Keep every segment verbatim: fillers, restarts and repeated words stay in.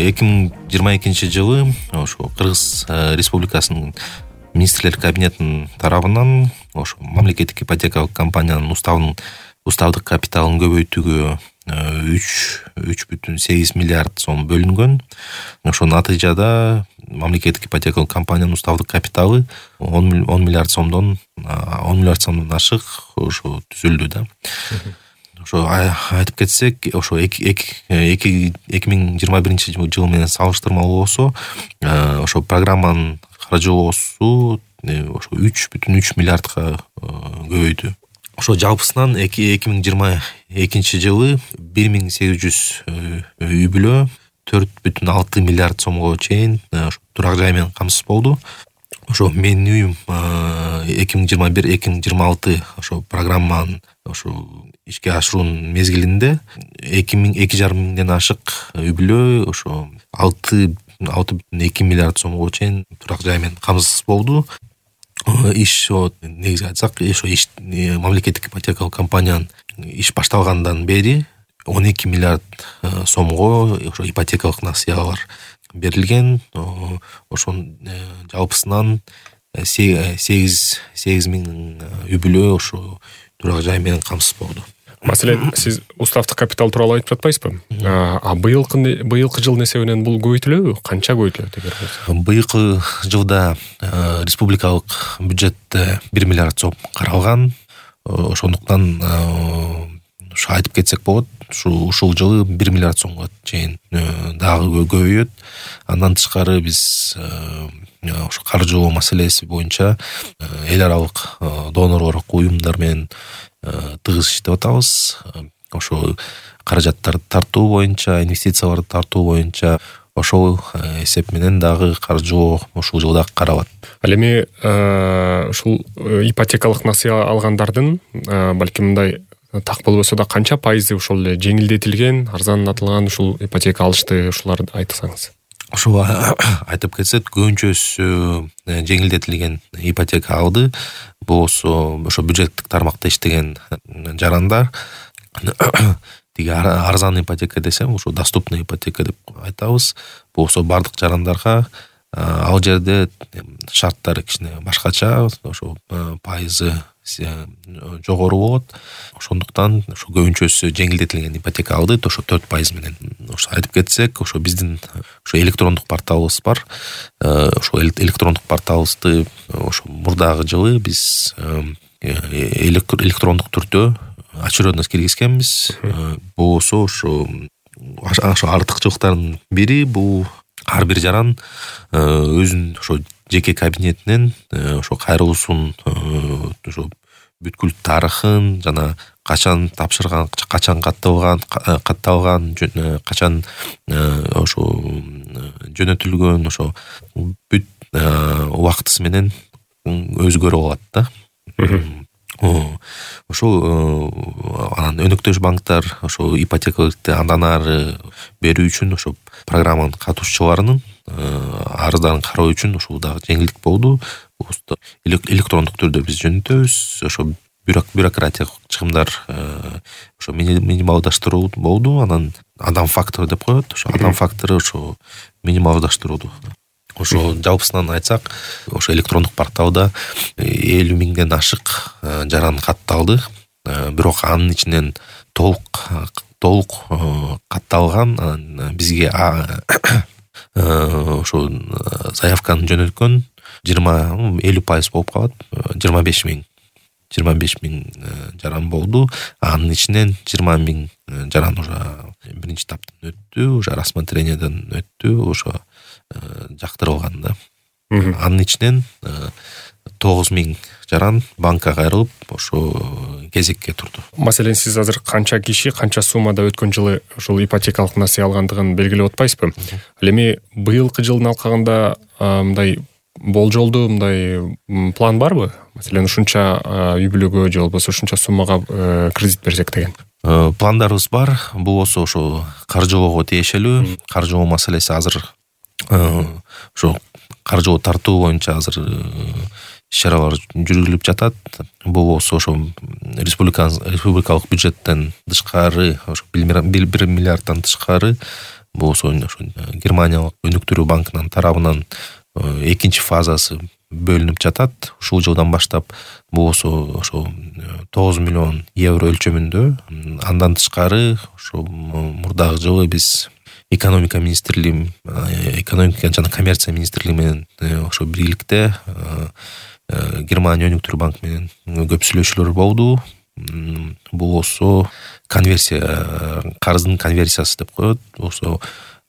эки миң жыйырма экинчи жылы ошо Кыргыз Республикасынын министрлер кабинетинин тарабынан ошо мамлекеттик ипотекалык компаниянын уставын уставдык капиталын көбөйтүүгө үч бүтүн сегиз миллиард сом бөлүнгөн. Ошо натыйжада мамлекеттик ипотекалык компаниянын уставдык капиталы он миллиард сомдон он миллиард сомдон ашык ошо түзүлдү да. Ошо айтып кетсек, ошо эки миң жыйырма биринчи жыл менен салыштырмалуу болсо, ошо программанын каржылоосу ошо үч бүтүн үч миллиардка көбөйдү. Ошо жалпысынан эки миң жыйырма экинчи жылы бир миң сегиз жүз үй бүлө төрт бүтүн алты миллиард сомго чейин турак жай менен камсыз болду. Ошо менин үйүм эки миң жыйырма бир эки миң жыйырма алты ошо программанын ошо ишке ашыруунун мезгилинде эки миң эки жарым миңден ашык үй бүлө ошо алты алты бүтүн эки миллиард сомго чейин турак жай менен камсыз болду. Иш негизи айтсак, ошо иш мамлекеттик ипотекалык компаниянын иш башталгандан бери он эки миллиард сомго ошо ипотекалык насыялар берилген. Ошонун жалпысынан сегиз миң үй бүлө ошо турак жай менен камсыз болду. Маселен, сиз уставдык капитал тууралуу айтып жатпайсызбы? А быйылкы быйылкы жылдын эсебинен бул көбөйтүлөбү? Канча көбөйтүлөт эгер болсо? Быйылкы жылда республикалык бюджетте бир миллиард сом каралган. Ошондуктан ушу айтып кетсек болот, ушу ушул жылы бир миллиард сомго чейин дагы көбөйөт. Андан тышкары биз ошо каржылоо маселеси боюнча эл аралык донорлук уюмдар менен тыгыз иштеп атабыз. Ошо каражаттарды тартуу боюнча, инвестицияларды тартуу боюнча ошол эсеп менен дагы каржылоо ушул жылда каралат. Ал эми ушул ипотекалык насыя алгандардын балким мындай так болбосо да канча пайызы ошол эле жеңилдетилген, арзандатылган ушул ипотека алышты, ушуларды айтсаңыз? Ошо айтып кетсек, көбүнчөсү жеңилдетилген ипотека алды. Болсо ошо бюджеттик тармакта иштеген жарандар. Тиги арзан ипотека десем, ошо доступный ипотека деп айтабыз. Болсо бардык жарандарга ал жерде шарттары кичине башкача, ошо пайызы жогору болот. Ошондуктан ошо көбүнчөсү жеңилдетилген ипотека алды, ошо төрт пайыз менен. Ошо айтып кетсек, ошо биздин ошо электрондук порталыбыз бар. Ошо электрондук порталыбызды ошо мурдагы жылы биз электрондук түрдө очередность киргизгенбиз. Болсо ошо ошо артыкчылыктардын бири бул ар бир жаран өзүнүн ошо жеке кабинетинен ошо кайрылуусун ошо бүткүл тарыхын жана качан тапшырган, качан катталган, катталган, качан ошо жөнөтүлгөн, ошо бүт убактысы менен өзү көрө алат да. Ошол анан өнөктөш банктар ошо ипотекалыкты андан ары берүү үчүн ошо программанын катышуучуларынын арыздарын кароо үчүн ушул дагы жеңилдик болду. Электрондук түрдө биз жөнөтөбүз. Ошо бюрократиялык чыгымдар ошо минималдаштыруу болду. Анан адам фактору деп коет. Ошо адам фактору ошо минималдаштырылды. Ошо жалпысынан айтсак, ошо электрондук порталда элүү миңден ашык жаран катталды. Бирок анын ичинен толук толук катталган бизге ошо заявканы жөнөткөн жыйырма элүү пайыз болуп калат. жыйырма беш миң жыйырма беш миң жаран болду. Анын ичинен жыйырма миң жаран уже биринчи таптан өттү, уже рассмотрениеден өттү, ошо жактырылган да. Анын ичинен тогуз миң жаран банкка кайрылып, ошо кезекке турду. Маселен, сиз азыр канча киши, канча суммада өткөн жылы ушул ипотекалык насыя алгандыгын белгилеп атпайсызбы? Ал эми быйылкы жылдын алкагында мындай болжолду мындай план барбы? Маселен, ушунча үй бүлөгө же болбосо ушунча суммага кредит берсек деген. Пландарыбыз бар. Бул болсо ошо каржылоого тиешелүү. Каржылоо маселеси азыр ошо каржылоо тартуу боюнча азыр иш-чаралар жүргүзүлүп жатат. Бул болсо ошо республикалык бюджеттен тышкары, ошо бир миллиарддан тышкары бул ошо Германиялык өнүктүрүү банкынын тарабынан экинчи фазасы бөлүнүп жатат. Ушул жылдан баштап бул ошо тогуз миллион евро өлчөмүндө. Андан тышкары ошо мурдагы жылы биз экономика министрлиги, экономика жана коммерция министрлиги менен ошо бирликте Германия өнүктүрүү банкы менен көп сүйлөшүүлөр болду. Бул ошо конверсия, карыздын конверсиясы деп коет. Ошо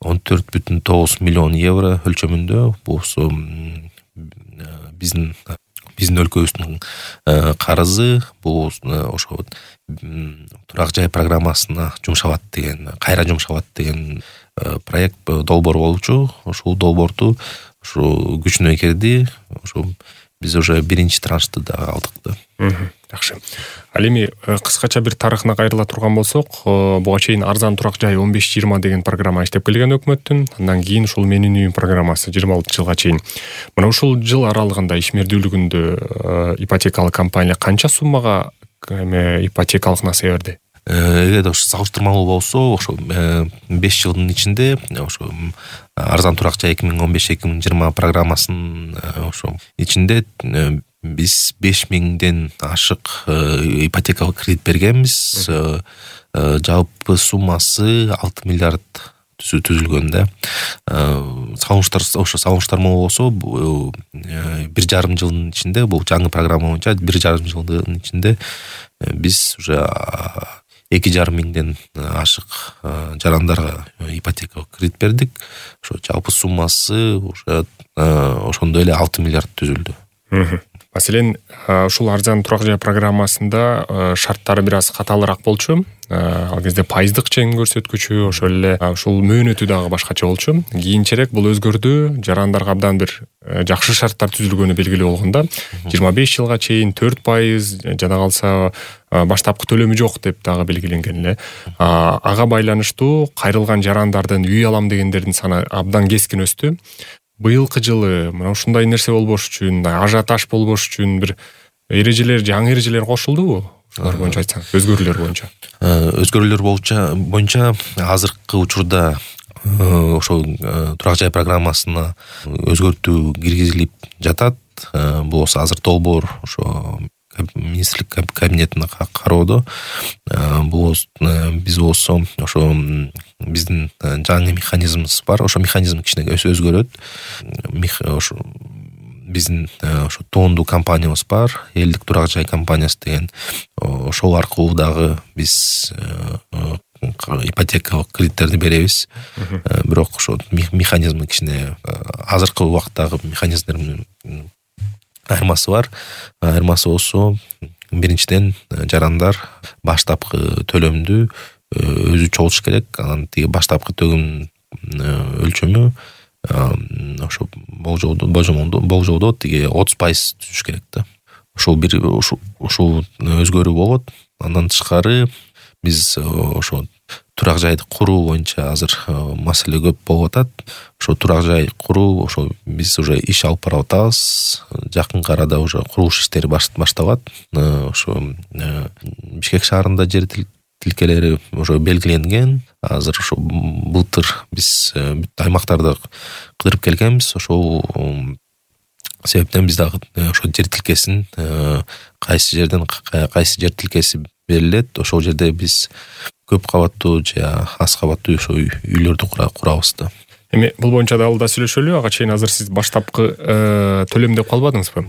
он төрт бүтүн тогуз миллион евро өлчөмүндө. Бул ошо биздин биздин өлкөбүздүн карызы. Бул ошо турак жай программасына жумшалат деген, кайра жумшалат деген проект долбоор болчу. Ошол долбоорду ошо күчүнө кирди. Ошо биз уже биринчи траншты да алдык да. Жакшы. Ал эми кыскача бир тарыхына кайрыла турган болсок, буга чейин арзан турак жай он беш жыйырма деген программа иштеп келген өкмөттүн. Андан кийин ушул Менин үйүм программасы жыйырма алтынчы жылга чейин. Мына ушул жыл аралыгында ишмердүүлүгүндө ипотекалык компания канча суммага ипотекалык насыя берди? Эгерде ошо салыштырмалуу болсо, ошо беш жылдын ичинде ошо арзан турак жай эки миң он беш эки миң жыйырма программасынын ошо ичинде биз беш миңден ашык ипотекалык кредит бергенбиз. Жалпы суммасы алты миллиард түзүлгөн да. Салыштар ошо салыштырмалуу болсо, бир жарым жылдын ичинде, бул жаңы программа боюнча бир жарым жылдын ичинде биз уже эки жарым миңден ашык жарандарга ипотекалык кредит бердик. Ошо жалпы суммасы уже ошондой эле алты миллиард түзүлдү. Маселен, ушул арзан турак жай программасында шарттары бир аз катаалыраак болчу. Ал кезде пайыздык чен көрсөткүчү, ошол эле ушул мөөнөтү дагы башкача болчу. Кийинчерээк бул өзгөрдү. Жарандарга абдан бир жакшы шарттар түзүлгөнү белгилүү болгондо жыйырма беш жылга чейин төрт пайыз, жана калса баштапкы төлөмү жок деп дагы белгиленген эле. Ага байланыштуу кайрылган жарандардын, үй алам дегендердин саны абдан кескин өстү. Быйылкы жылы мына ушундай нерсе болбош үчүн, ажиотаж болбош үчүн бир эрежелер, жаңы эрежелер кошулдубу? Ушулар боюнча айтсаңыз, өзгөрүүлөр боюнча. Өзгөрүүлөр боюнча азыркы учурда ошо турак жай программасына өзгөртүү киргизилип жатат. Бул азыр долбоор ошо министрлик кабинетине кароодо. Бул биз болсо ошо биздин жаңы механизмибиз бар. Ошо механизм кичине өзгөрөт. Ошо биздин ошо тоондуу компаниябыз бар, элдик турак жай компаниясы деген. Ошол аркылуу дагы биз ипотекалык кредиттерди беребиз. Бирок ошо механизм кичине азыркы убакыттагы механизмдер айырмасы бар. Айырмасы болсо, биринчиден жарандар баштапкы төлөмдү өзү чогулуш керек. Анан тиги баштапкы төлөм өлчөмү ошо болжолдо тиги отуз пайыз түзүш керек да. Ошол бир ушул өзгөрүү болот. Андан тышкары биз ошо турак жайды куруу боюнча азыр маселе көп болуп атат. Ошо турак жай куруу, ошо биз уже иш алып барып атабыз. Жакынкы арада уже курулуш иштери башталат. Ошо Бишкек шаарында жер тилкелери уже белгиленген. Азыр ошо былтыр биз бүт аймактарды кыдырып келгенбиз. Ошол себептен биз дагы ошо жер тилкесин кайсы жерден кайсы жер тилкеси берилет, ошол жерде биз көп кабаттуу же аз кабаттуу ошо үйлөрдү курабыз да. Эми бул боюнча дагы да сүйлөшөлү. Ага чейин азыр сиз баштапкы төлөм деп калбадыңызбы?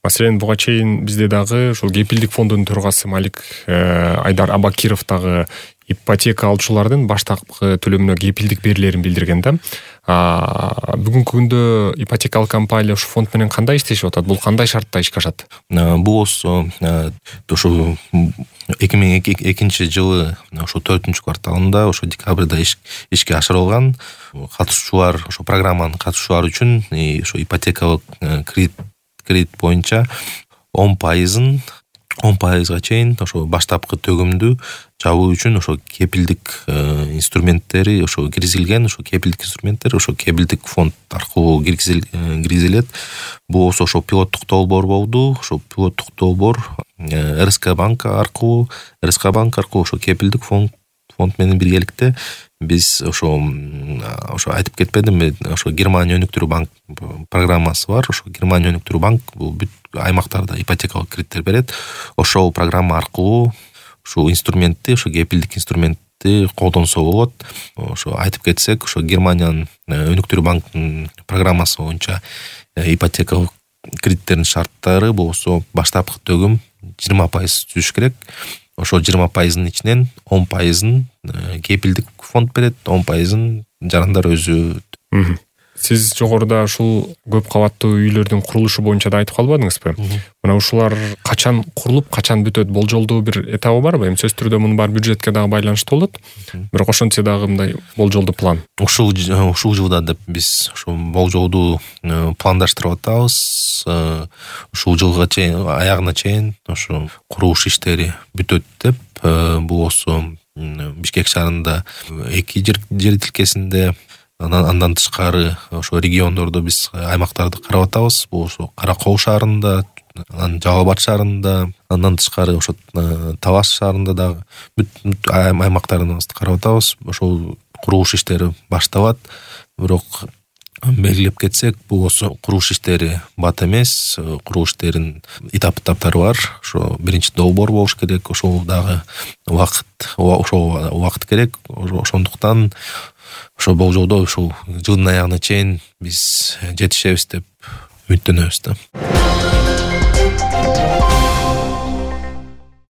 Маселен, буга чейин бизде дагы ушул кепилдик фондунун төрагасы Малик Айдар Абакиров дагы ипотека алуучулардын баштапкы төлөмүнө кепилдик берилерин билдирген да. Бүгүнкү күндө ипотекалык компания ушу фонд менен кандай иштешип атат? Бул кандай шартта ишке ашат? Бул ошо ошо эки миң экинчи жылы ошо төртүнчү кварталында ошо декабрда ишке ашырылган. Катышуучулар, ошо программанын катышуучулары үчүн ошо ипотекалык кредит кредит боюнча он пайызын он пайызга чейин ошо баштапкы төгүмдү жабуу үчүн ошо кепилдик инструменттери ошо киргизилген. Ошо кепилдик инструменттер ошо кепилдик фонд аркылуу киргизилет. Бул ошо пилоттук долбоор болду. Ошо пилоттук долбоор РСК банк аркылуу РСК банк аркылуу ошо кепилдик фонд фонд менен биргеликте биз ошо ошо айтып кетпедимби, ошо Германия өнүктүрүү банк программасы бар. Ошо Германия өнүктүрүү банк бул бүт аймактарда ипотекалык кредиттер берет. Ошол программа аркылуу ушул инструментти, ошо кепилдик инструментти колдонсо болот. Ошо айтып кетсек, ошо Германиянын өнүктүрүү банктын программасы боюнча ипотекалык кредиттердин шарттары болсо баштапкы төгүм жыйырма пайыз түзүш керек. Ошо жыйырма пайыздын ичинен он пайызын кепилдик фонд берет, он пайызын жарандар өзү. Сиз жогоруда ушул көп кабаттуу үйлөрдүн курулушу боюнча да айтып калбадыңызбы? Мына ушулар качан курулуп, качан бүтөт, болжолдуу бир этабы барбы? Эми сөзсүз түрдө мунун баары бюджетке дагы байланыштуу болот. Бирок ошентсе дагы мындай болжолдуу план. Ушул ушул жылда деп биз ошо болжолдуу пландаштырып атабыз. Ушул жылга чейин, аягына чейин ошо курулуш иштери бүтөт деп. Бул болсо Бишкек шаарында эки жер тилкесинде, андан тышкары ошо региондордо биз аймактарды карап атабыз. Бул ошо Кара Кол шаарында, анан Жалал Абад шаарында, андан тышкары ошо Талас шаарында дагы бүт аймактарыбызды карап атабыз. Ошол курулуш иштери башталат. Бирок белгилеп кетсек, бул болсо курулуш иштери бат эмес. Курулуш иштеринин этап-этаптары бар. Ошо биринчи долбоор болуш керек. Ошол дагы убакыт, ошол убакыт керек. Ошондуктан ошо болжолдо ушул жылдын аягына чейин биз жетишебиз деп үмүттөнөбүз да.